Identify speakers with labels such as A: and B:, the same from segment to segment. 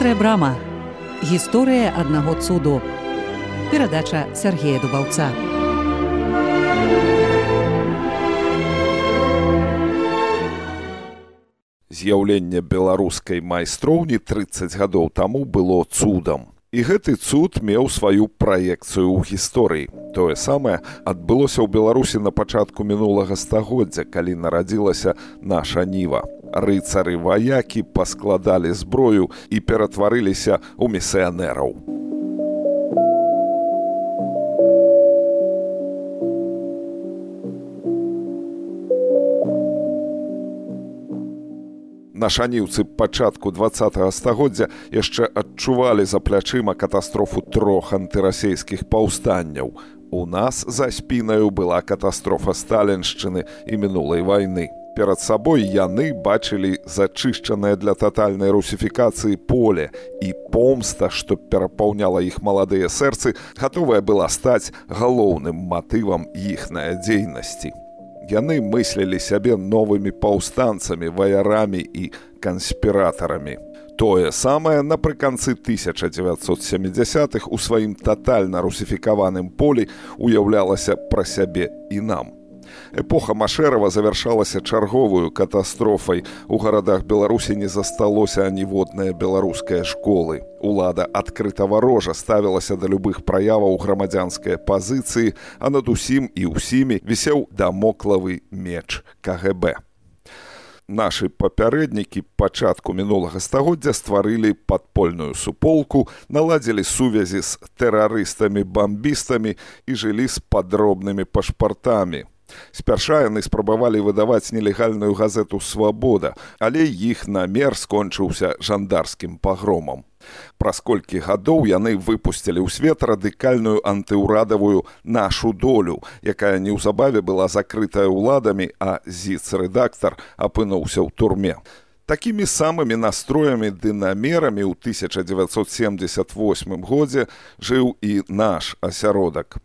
A: Вострая брама. Гісторыя аднаго цуду. Перадача Сергея Дубаўца.
B: З'яўленне беларускай майстроўні 30 гадоў таму было цудам. І гэты цуд меў сваю праекцыю ў гісторыі. Тое самае адбылося ў Беларусі на пачатку мінулага стагоддзя, калі нарадзілася наша ніва. Рыцары-ваякі паскладалі зброю і ператварыліся ў місіянераў. Нашаніўцы пачатку 20-го стагоддзя яшчэ адчувалі за плячыма катастрофу 3 антырасейскіх паўстанняў. У нас за спінаю была катастрофа сталіншчыны і мінулай вайны. Перад сабой яны бачылі зачышчанае для татальнай русіфікацыі поле, і помста, што перапаўняла іх маладыя сэрцы, гатовая была стаць галоўным матывам іхнай дзейнасці. Яны мыслілі сябе новымі паўстанцамі, ваярамі і канспіратарамі. Тое самае напрыканцы 1970-х у сваім татальна русіфікаваным полі уяўлялася пра сябе і нам. Эпоха Машэрава завяршалася чарговую катастрофай. У гарадах Беларусі не засталося аніводнае беларускае школы. Улада адкрыта варожа ставілася да любых праяваў грамадзянскай пазіцыі, а над усім і ўсімі вісеў дамоклавы меч КГБ. Нашы папярэднікі пачатку мінулага стагоддзя стварылі падпольную суполку, наладзілі сувязі з тэрарыстамі-бамбістамі і жылі з падробнымі пашпартамі. Спярша яны спрабавалі выдаваць нелегальную газету «Свабода», але іх намер скончыўся жандарскім пагромам. Праз колькі гадоў яны выпусцілі ў свет радыкальную антыўрадавую «Нашу долю», якая неўзабаве была закрытая ўладамі, а зіц-рэдактар апынуўся ў турме. Такімі самымі настроямі ды намерамі ў 1978 годзе жыў і наш асяродак.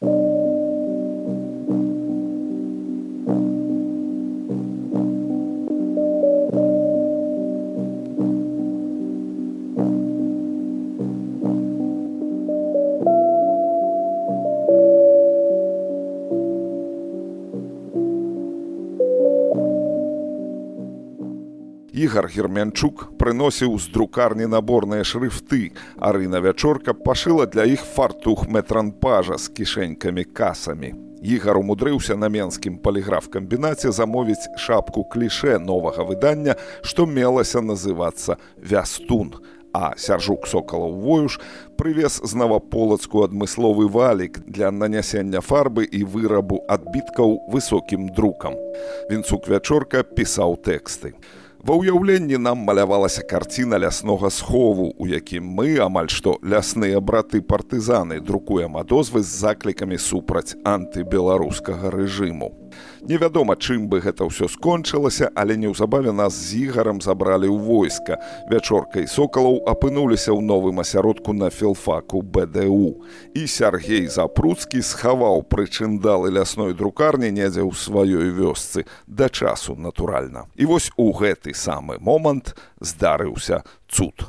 B: Ігар Гермянчук прыносіў з друкарні наборныя шрыфты, а Рына Вячорка пашыла для іх фартух метранпажа з кішэнькамі-касамі. Ігар умудрыўся на менскім паліграф-камбінаце замовіць шапку клішэ новага выдання, што мелася называцца «Вястун», а Сяржук Сокалаў-Воюш прывез з Наваполацку адмысловы валік для нанясення фарбы і вырабу адбіткаў высокім друкам. Вінцук Вячорка пісаў тэксты. Ва ўяўленні нам малявалася карціна ляснога схову, у якім мы, амаль што лясныя браты-партызаны, друкуем адозвы з заклікамі супраць антыбеларускага рэжыму. Невядома, чым бы гэта ўсё скончылася, але неўзабаве нас з Ігарам забралі ў войска. Вячорка і Сокалаў апынуліся ў новым асяродку на філфаку БДУ. І Сяргей Запруцкі схаваў прычындалы лясной друкарні недзе ў сваёй вёсцы, да часу, натуральна. І вось у гэты самы момант здарыўся цуд.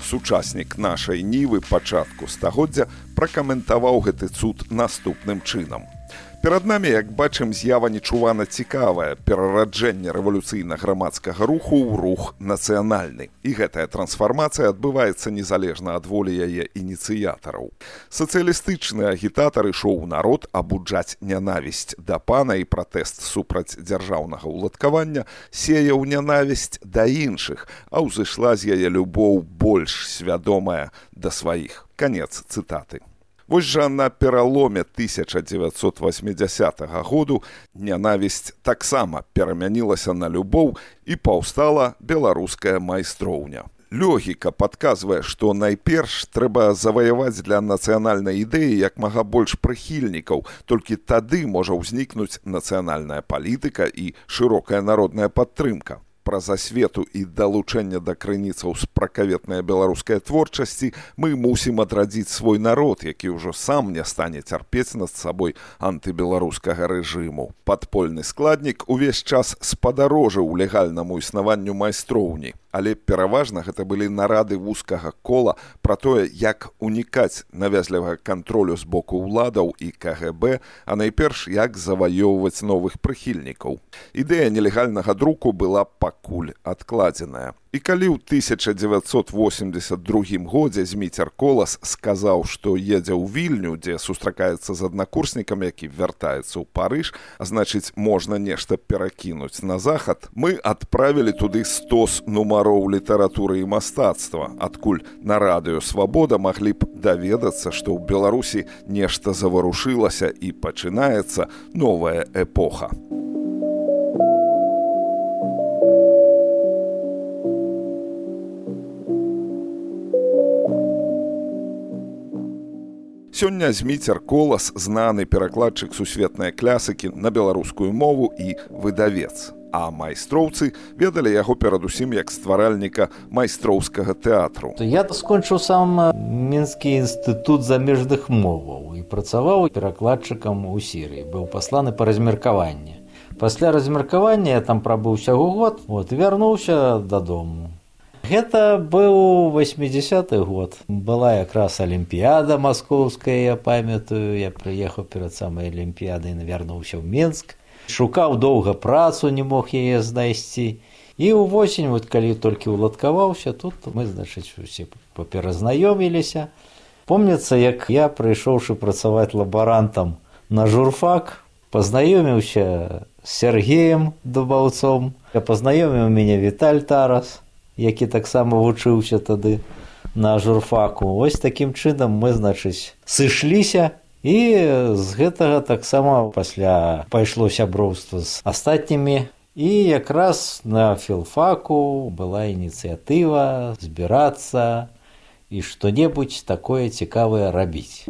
B: Сучаснік нашай нівы пачатку стагоддзя пракаментаваў гэты цуд наступным чынам. Перад намі, як бачым, з'ява нечувана цікавая, перараджэнне рэвалюцыйна-грамадскага руху ў рух нацыянальны. І гэтая трансфармацыя адбываецца незалежна ад волі яе ініцыятараў. Сацыялістычны агітатар ішоў у народ абуджаць нянавісць да пана і пратэст супраць дзяржаўнага ўладкавання сеяў нянавісць да іншых, а ўзышла з яе любоў больш свядомая да сваіх. Канец цытаты. Вось жа на пераломе 1980 году нянавісць таксама перамянілася на любоў і паўстала беларуская майстроўня. Логіка падказвае, што найперш трэба заваяваць для нацыянальнай ідэі як мага больш прыхільнікаў, толькі тады можа ўзнікнуць нацыянальная палітыка і шырокая народная падтрымка. праз асвету і далучэнне да крыніцаў спракаветнай беларускай творчасці мы мусім адрадзіць свой народ, які ўжо сам не стане цярпець над сабой антыбеларускага рэжыму. Падпольны складнік увесь час спадарожыў легальнаму існаванню майстроўні, але пераважна гэта былі нарады вузкага кола пра тое, як унікаць навязлівага кантролю з боку ўладаў і КГБ, а найперш як заваёўваць новых прыхільнікаў. Ідэя нелегальнага друку была пакуль адкладзеная. І калі ў 1982 годзе Зміцер Колас сказаў, што едзе ў Вільню, дзе сустракаецца з аднакурснікам, які вяртаецца ў Парыж, а значыць, можна нешта перакінуць на захад, мы адправілі туды 100 нумароў літаратуры і мастацтва, адкуль на радыё «Свабода» маглі б даведацца, што ў Беларусі нешта заварушылася і пачынаецца новая эпоха. Сёння Зміцер Колас знаны перакладчык сусветнай класікі на беларускую мову і выдавец. А майстроўцы ведалі яго перадусім як стваральніка майстроўскага тэатру.
C: Я скончыў сам Мінскі інстытут замежных моваў і працаваў перакладчыкам у Сірыі. Быў пасланы па размеркаванні. Пасля размеркавання я там прабыў усяго год, вярнуўся дадому. Гэта быў 80-й год. Была якраз Алімпіяда маскоўская, я памятаю. Я прыехаў перад самай Алімпіядай і вярнуўся ў Мінск. Шукаў доўга працу, не мог яе знайсці. І ўвосень, калі толькі уладкаваўся, тут мы, усе паперазнаёміліся. Помніцца, як я, прыйшоўшы працаваць лабарантам на журфак, пазнаёміўся з Сергеем Дубаўцом, пазнаёміў мяне Віталь Тарас, які таксама вучыўся тады на журфаку. Вось такім чынам мы, сышліся, і з гэтага таксама пасля пайшло сяброўства з астатнімі. І якраз на філфаку была ініцыятыва збірацца і што-небудзь такое цікавае рабіць.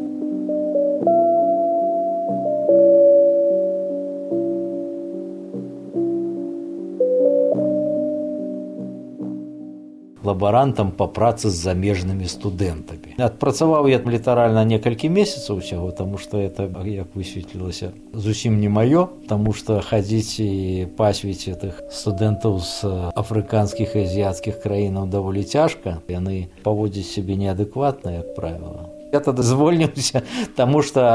C: Лабарантам па працы з замежнымі студэнтамі. Адпрацаваў я літаральна некалькі месяцаў усяго, таму што это, як высветлілася, зусім не маё, таму што хадзіць і пасвіць гэтых студэнтаў з афрыканскіх і азіяцкіх краінаў даволі цяжка. Яны паводзяць сябе неадэкватна, як правіла. Я тады звольніўся, таму што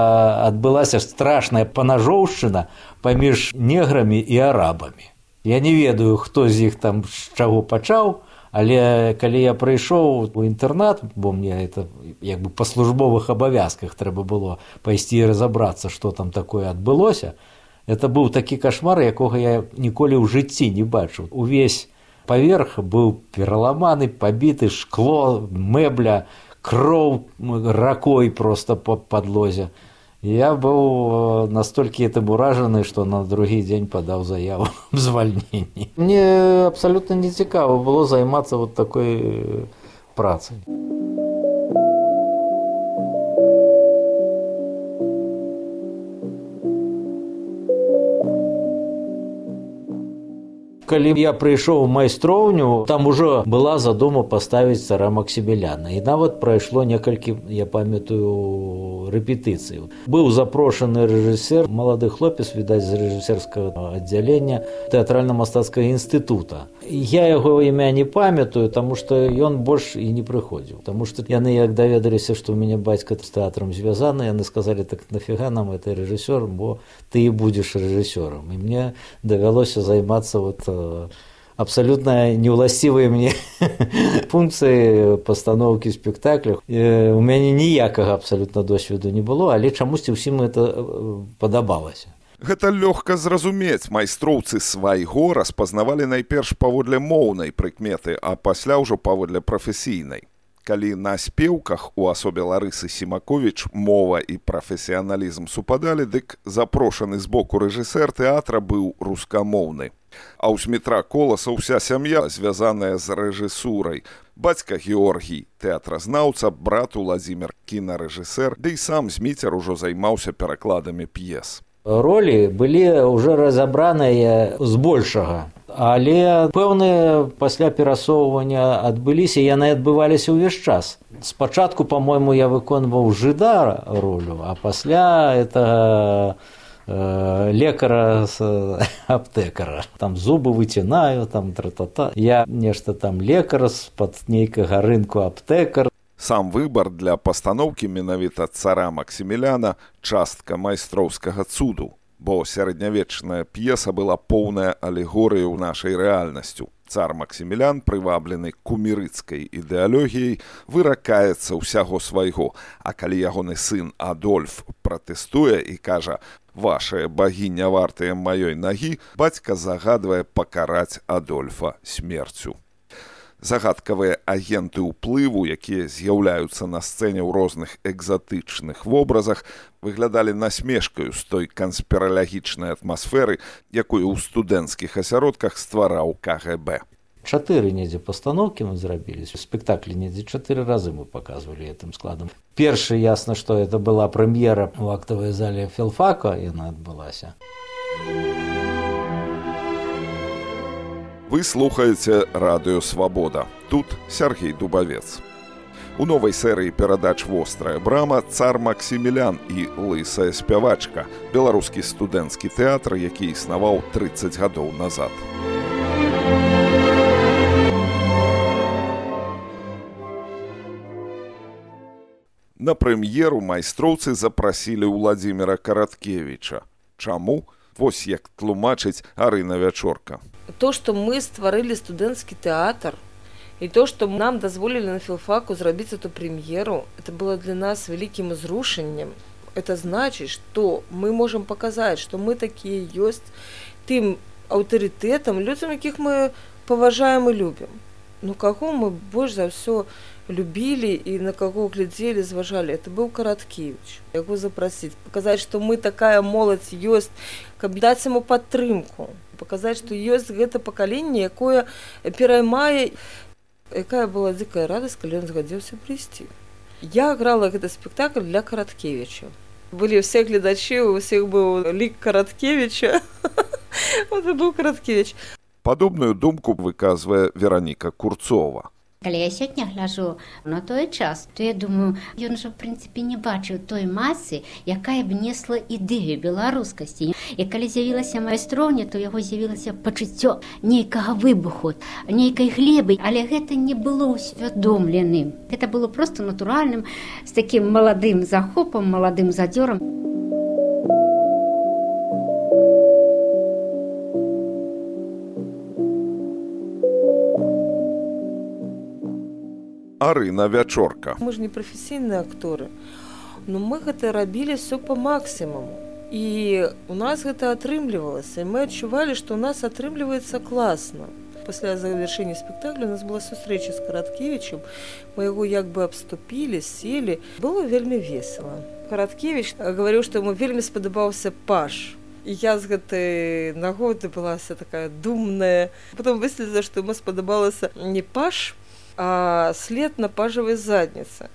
C: адбылася страшная панажоўшчына паміж неграмі і арабамі. Я не ведаю, хто з іх там з чаго пачаў, але калі я прыйшоў у інтэрнат, бо мне это як бы па службовых абавязках трэба было пайсці і разабрацца, што там такое адбылося, это быў такі кашмар, якога я ніколі ў жыцці не бачыў. Увесь паверх быў пераламаны, пабіты, шкло, мэбля, кроў ракой проста па падлозе. Я быў настолькі этим уражаны, што на другі дзень падаў заяву аб звальненні. Мне абсалютна не цікава было займацца такой працай. Калі я прыйшоў у майстроўню, там ужо была задума паставіць цара Максіміліяна. І нават прайшло некалькі, я памятаю, рэпетыцый. Быў запрошаны рэжысер, малады хлопец, відаць, з рэжысерскага аддзялення тэатральна-мастацкага інстытута. Я яго імя не памятаю, таму што ён больш і не прыходзіў. Таму што яны, як даведаліся, што ў мяне бацька з тэатрам звязаны, яны сказалі, так нафіга нам гэты рэжысёр, бо ты і будзеш рэжысёрам. І мне давялося займацца абсолютно неуласцівыя мне функцыі пастаноўкі спектакляў. У мяне ніякага абсалютна досведу не было, але чамусьці ўсім это падабалася.
B: Гэта лёгка зразумець. Майстроўцы свайго распазнавалі найперш паводле моўнай прыкметы, а пасля ўжо паводле прафесійнай. Калі на спеўках у асобе Ларысы Сімаковіч мова і прафесіяналізм супадалі, дык запрошаны з боку рэжысэр тэатра быў рускамоўны. А ў Змітра Коласа ўся сям'я, звязаная з рэжысурай. Бацька Георгій – тэатразнаўца, брат Уладзімір – кінарэжысэр, ды і сам Зміцер ужо займаўся перакладамі п'ес.
C: Ролі былі ўжо разабраныя збольшага Але пэўныя пасля перасоўвання адбыліся, яны адбываліся ўвесь час. Спачатку, па-мойму, я выконваў жыда ролю, а пасля это лекара з аптэкара. Там зубы выцінаю, там тра-та-та. Я нешта там лекар з-пад нейкага рынку аптэкар.
B: Сам выбар для пастаноўкі менавіта цара Максіміляна частка майстроўскага цуду, бо сярэднявечная п'еса была поўная алегорыяй у нашай рэальнасцю. Цар Максімілян, прываблены кумірыцкай ідэалогіяй, выракаецца ўсяго свайго, а калі ягоны сын Адольф пратэстуе і кажа «Вашыя багі не вартыя маёй нагі», бацька загадвае пакараць Адольфа смерцю. Загадкавыя агенты ўплыву, якія з'яўляюцца на сцэне ў розных экзатычных вобразах, выглядалі насмешкаю з той канспіралагічнай атмасферы, якую ў студэнцкіх асяродках ствараў КГБ.
C: 4 недзе пастаноўкі мы зрабілі. Спектаклі недзе 4 разы мы паказвалі гэтым складам. Першы, ясна, што это была прэм'ера ў актавай зале філфака, яна адбылася.
B: Вы слухаеце радыё «Свабода». Тут Сергей Дубавец. У новай серыі перадач «Вострая брама» цар Максімілян і лысая спявачка, беларускі студэнцкі тэатр, які існаваў 30 гадоў назад. На прэм'еру майстроўцы запрасілі Уладзіміра Караткевіча. Чаму? Вось як тлумачыць Арына Вячорка.
D: То, что мы стварылі студэнцкі тэатр, и то, что нам дазволілі на філфаку зрабіць эту прэм'еру, это было для нас вялікім узрушэннем. Это значит, что мы можем показать, что мы такие ёсць тым аўтарытэтам, людзям, якіх мы паважаем и любім. Ну, каго мы больш за ўсё любілі і на каго глядзелі, зважалі, это быў Караткевіч. Яго запрасіць, паказаць, што мы такая моладзь ёсць, каб даць яму падтрымку, паказаць, што ёсць гэта пакаленне, якое пераймае, якая была дзікая радасць, калі ён згадзіўся прыйсці. Я грала гэты спектакль для Караткевіча. Былі ўсе гледачы, у ўсіх быў лік Караткевіча. Вот і быў Караткевіч.
B: Падобную думку выказвае Вераніка Курцова.
E: Калі я сёння гляджу на той час, то я думаю, ён жа, в прынцыпе, не бачыў той масы, якая б несла ідэю беларускасці. І калі з'явілася майстроўня, то яго з'явілася пачуццё нейкага выбуху, нейкай глебы, але гэта не было усвядомленым. Гэта было проста натуральным, з такім маладым захопам, маладым задзёрам.
B: Арына Вячорка.
D: Мы ж не прафесійныя акторы, но мы гэта рабілі все по максімуму. І у нас гэта атрымлівалася, і мы адчувалі, што у нас атрымліваецца класна. Пасля завяршэння спектакля у нас была сустрэча з Караткевічем, мы яго як бы абступілі, селі. Было вельмі весела. Караткевіч гаварыў, што яму вельмі спадабаўся паж. І я з гэтай нагоды была вся такая думная. Потом выяснілася, што яму спадабалася не паж, а след на пажевой заднице.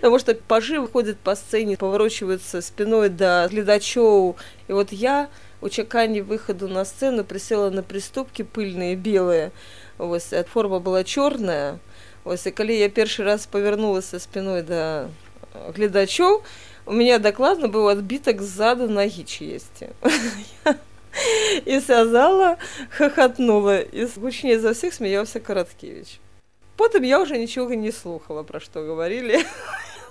D: Потому что пажи выходят по сцене, поворачиваются спиной до глядачоў. И вот я у чаканні выходу на сцену присела на приступки пыльные, белые. Вось, форма была черная. Вось, и калі я першы раз повернулася спиной до глядачоў, у меня докладно был отбиток сзаду ноги чьесьці. И вся зала хохотнула. И гучнее за всех смеялся Караткевич. Потом я уже ничего не слухала, про что говорили.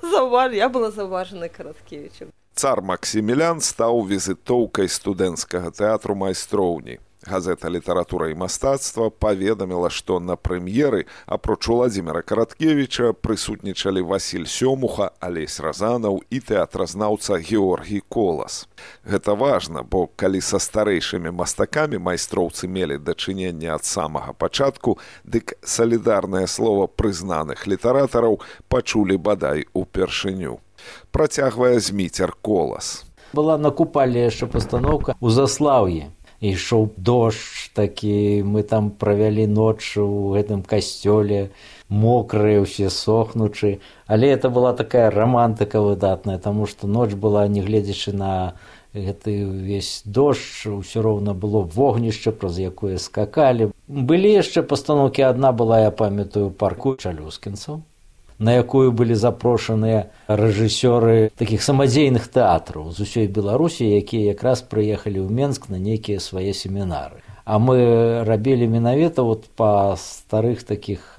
D: Я была заўважана Караткевічем.
B: Цар Максімілян стаў візітоўкай студэнцкага тэатру майстроўні. Газета «Літаратура і мастацтва» паведаміла, што на прэм'еры, апроч Уладзіміра Караткевіча, прысутнічалі Васіль Сёмуха, Алесь Разанаў і тэатразнаўца Георгій Колас. Гэта важна, бо калі са старэйшымі мастакамі майстроўцы мелі дачыненне ад самага пачатку, дык салідарнае слова прызнаных літаратараў пачулі бадай упершыню. Працягвае Зміцер Колас.
C: Была на Купале яшчэ пастаноўка ў Заслаўі. Ішоў дождж такі, мы там правялі ноч у гэтым касцёле, мокрыя, усе сохнучы. Але это была такая романтыка выдатная, таму што ноч была, не гледзячы на гэты увесь дождж, ўсё роўна было вогнішча, праз якое скакалі. Былі яшчэ пастаноўкі, адна была, я памятаю, парку чалюскінцаў, на якую былі запрошаныя рэжысёры такіх самадзейных тэатраў з усёй Беларусі, якія якраз прыехалі ў Менск на нейкія свае семінары. А мы рабілі менавіта па старых такіх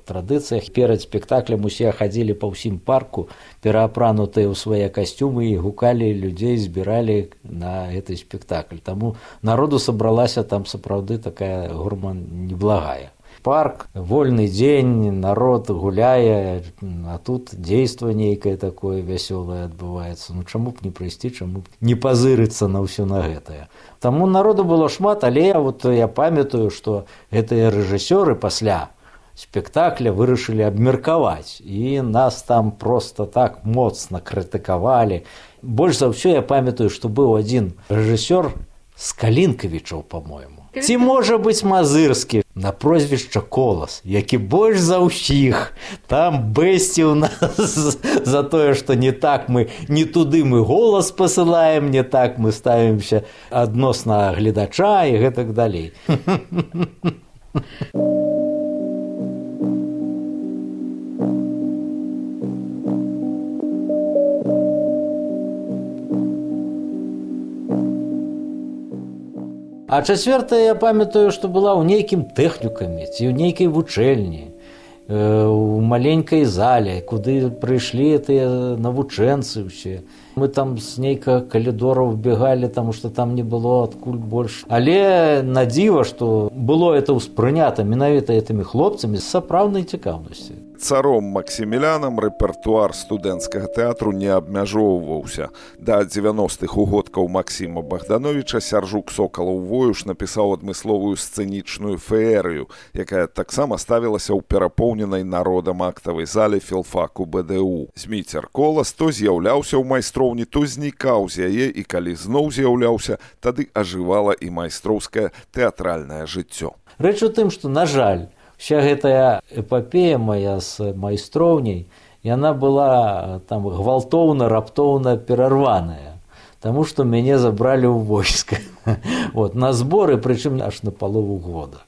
C: традыцыях. Перад спектаклем усе хадзілі па ўсім парку, пераапранутыя ў свае касцюмы, і гукалі людзей, збіралі на гэты спектакль. Таму народу сабралася там сапраўды такая гурма неблагая. Парк, вольны дзень, народ гуляе, а тут дзейства нейкае такое вясёлае адбываецца. Ну чаму б не прыйсці, чаму б не пазырыцца на ўсё на гэтае. Таму народу было шмат, але я памятаю, што гэтыя рэжысёры пасля спектакля вырашылі абмеркаваць, і нас там проста так моцна крытыкавалі. Больш за ўсё я памятаю, што быў адзін рэжысёр з Калінкавічаў, па-мойму. Ці можа быць Мазырскі на прозвішча Колас, які больш за ўсіх там бэсціў нас за тое, што не так мы, не туды мы голас пасылаем, не так мы ставімся адносна гледача і гэтак далей. А чацвёртая, я памятаю, што была ў нейкім тэхнікуме ці ў нейкай вучэльні, у маленькай зале, куды прыйшлі тыя навучэнцы ўсе. Мы там з нейкага калідора вбегалі, таму што там не было адкуль больш. Але на дзіва, што было это ўспрынята менавіта гэтымі хлопцамі з сапраўднай цікаўнасці.
B: Царом Максімілянам рэпертуар студэнцкага тэатру не абмяжоўваўся. Да 90-х угодкаў Максіма Богдановича Сяржук Сокалаў-Воюш напісаў адмысловую сцэнічную феерыю, якая таксама ставілася ў перапоўненай народам актавай зале філфаку БДУ. Зміцер Колас то з'яўляўся ў майстроўні, то знікаў з яе, і калі зноў з'яўляўся, тады ажывала і майстроўскае тэатральнае жыццё.
C: Рэч у тым, што, на жаль, вся гэтая эпапея мая з майстроўняй, яна была там гвалтоўна, раптоўна перарваная, таму што мяне забралі ў войска. На зборы, прычым аж на палову года.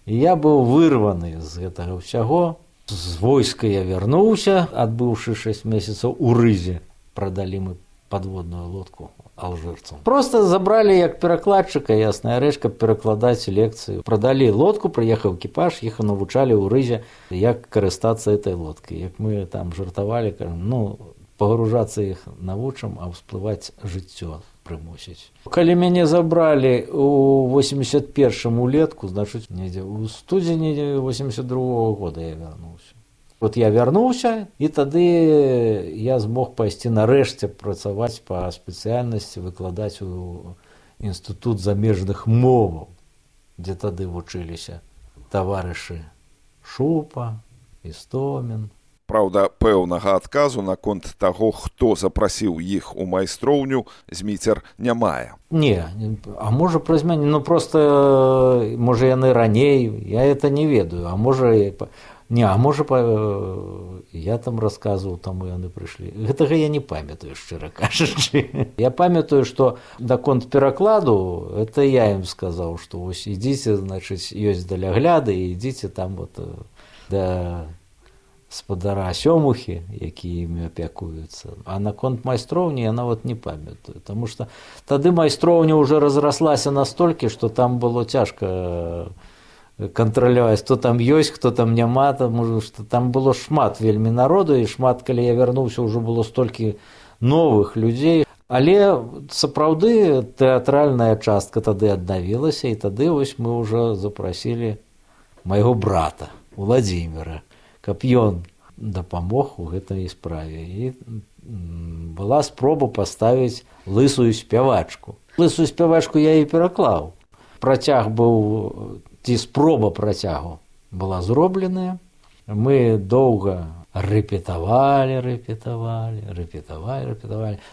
C: І я быў вырваны з гэтага ўсяго. З войска я вярнуўся, адбыўшы 6 месяцаў у Рызе. Прадалі мы падводную лодку алжырцам. Просто забралі як перакладчыка, ясная рэч, каб перакладаць лекцыю. Прадалі лодку, прыехаў экіпаж, іх навучалі ў Рызе, як карыстацца этой лодкай. Як мы там жартавалі, кажам, пагружацца іх навучым, а ўсплываць жыццё прымусіць. Калі мяне забралі у 81-м улетку, значыць, недзе у студзені 82-го года я вярнуўся. Я вярнуўся, і тады я змог пайсці нарэшце працаваць па спецыяльнасці, выкладаць у інстытут замежных моваў, дзе тады вучыліся таварышы Шупа, Істомін.
B: Праўда, пэўнага адказу наконт таго, хто запрасіў іх у майстроўню, Зміцер не мае.
C: Не, а можа праз мяне, проста, можа яны раней, я это не ведаю, а можа... Не, а можа, я там расказваў, таму яны прыйшлі. Гэтага я не памятаю, шчыра кажучы. Я памятаю, што даконт перакладу, это я ім сказаў, што вось ідзіце, значыць, ёсць далягляды, і ідзіце там да спадара Сёмухі, які імі апякуюцца. А наконт майстроўні я нават не памятаю, таму што тады майстроўня ўжо разраслася настолькі, што там было цяжка кантраляваць, хто там ёсць, хто там няма, таму што там было шмат вельмі народу, і шмат, калі я вярнуўся, ўжо было столькі новых людзей. Але сапраўды тэатральная частка тады аднавілася, і тады вось мы ўжо запрасілі майго брата, Владзіміра, каб ён дапамог у гэтай справе. І была спроба паставіць лысую спявачку. Лысую спявачку я і пераклаў. Працяг быў... Ці спроба працягу была зробленая. Мы доўга рэпетавалі,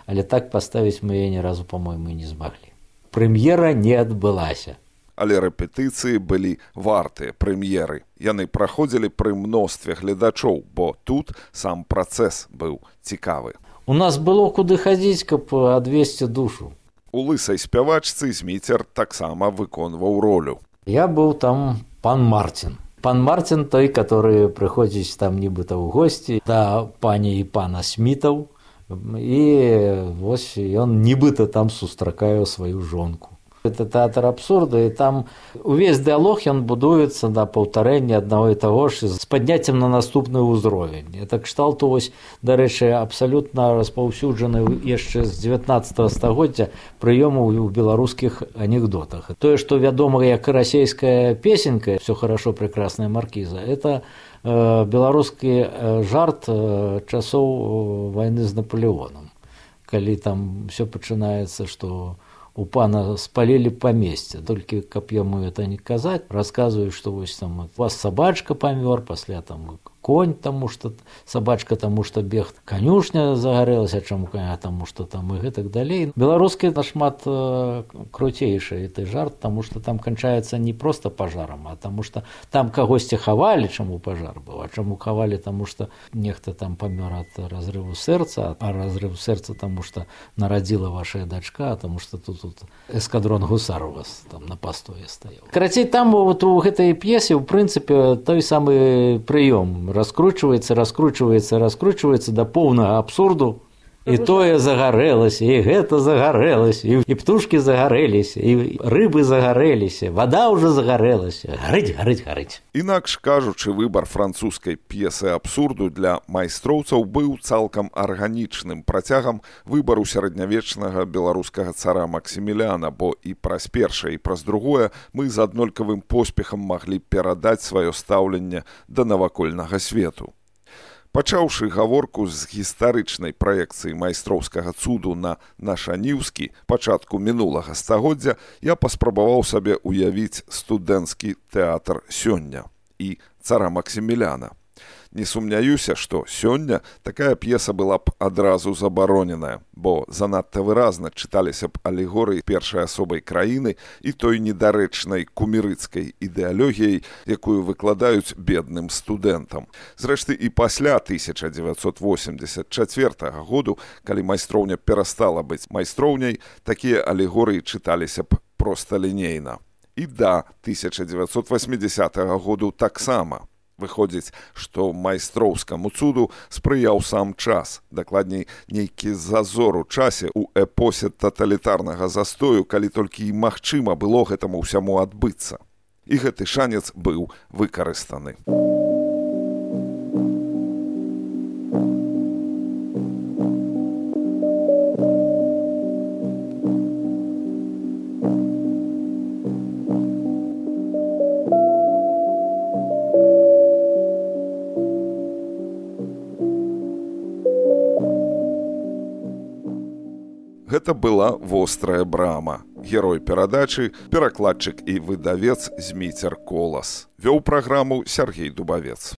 C: але так паставіць мы яе ні разу, па-мойму, не змаглі. Прэм'ера не адбылася.
B: Але рэпетыцыі былі вартыя прэм'еры. Яны праходзілі пры мностве гледачоў, бо тут сам працэс быў цікавы.
C: У нас было куды хадзіць, каб адвесці душу.
B: У лысай спявачцы Зміцер таксама выконваў ролю.
C: Я быў там пан Марцін. Пан Марцін той, который прыходзіць там нібыта ў госці да пані і пана Смітаў, і вось ён нібыта там сустракае сваю жонку. Это тэатр абсурда, і там увесь дыалог ён будуецца на паўтарэнні аднаго і таго ж з падняццем на наступны ўзровень. Это кшталту, вось, дарэчы, абсалютна распаўсюджаны яшчэ з 19 стагоддзя прыёму ў беларускіх анекдотах. Тое, што вядома як расейская песенка «Все хорошо, прекрасная маркіза», это беларускі жарт часоў вайны з Наполеонам. Калі там все пачынаецца, што у пана спалілі памесце, толькі каб яму это не казаць, расказваю, што вось там у вас сабачка памёр, пасля там конь, таму што сабачка, таму што бег, канюшня загарэлася, чаму коня, таму што там і гэтак далей. Беларускі нашмат круцейшы гэты жарт, таму што там канчаецца не проста пажарам, а таму што там кагосьці хавалі, чаму пажар быў, а чаму хавалі, таму што нехта там памёр ад разрыву сэрца, а разрыв сэрца таму што нарадзіла ваша дачка, таму што тут эскадрон гусар у вас там на пастое стаяў. Карацей, там вот у гэтай п'есе ў прынцыпе той самы прыём раскручваецца да поўнага абсурду. І тое загарэлася, і гэта загарэлася, і птушкі загарэліся, і рыбы загарэліся, вада ўжо загарэлася. Гарыць.
B: Інакш кажучы, выбар французскай п'есы абсурду для майстроўцаў быў цалкам арганічным працягам выбару сярэднявечнага беларускага цара Максіміляна, бо і праз першае, і праз другое мы з аднолькавым поспехам маглі перадаць сваё стаўленне да навакольнага свету. Пачаўшы гаворку з гістарычнай праекцыі майстроўскага цуду на нашаніўскі пачатку мінулага стагоддзя, я паспрабаваў сабе ўявіць студэнцкі тэатр сёння і цара Максіміляна. Не сумняюся, што сёння такая п'еса была б адразу забароненая, бо занадта выразна чыталіся б алегорыі першай асобай краіны і той недарэчнай кумірыцкай ідэалогіяй, якую выкладаюць бедным студэнтам. Зрэшты, і пасля 1984 году, калі майстроўня перастала быць майстроўняй, такія алегорыі чыталіся б проста лінейна. І да 1980 году таксама. Выходзіць, што майстроўскаму цуду спрыяў сам час, дакладней, нейкі зазор у часе ў эпосе таталітарнага застою, калі толькі і магчыма было гэтаму ўсяму адбыцца. І гэты шанец быў выкарыстаны. Гэта была вострая брама. Герой перадачы, перакладчык і выдавец Зміцер Колас. Вёў праграму Сяргей Дубавец.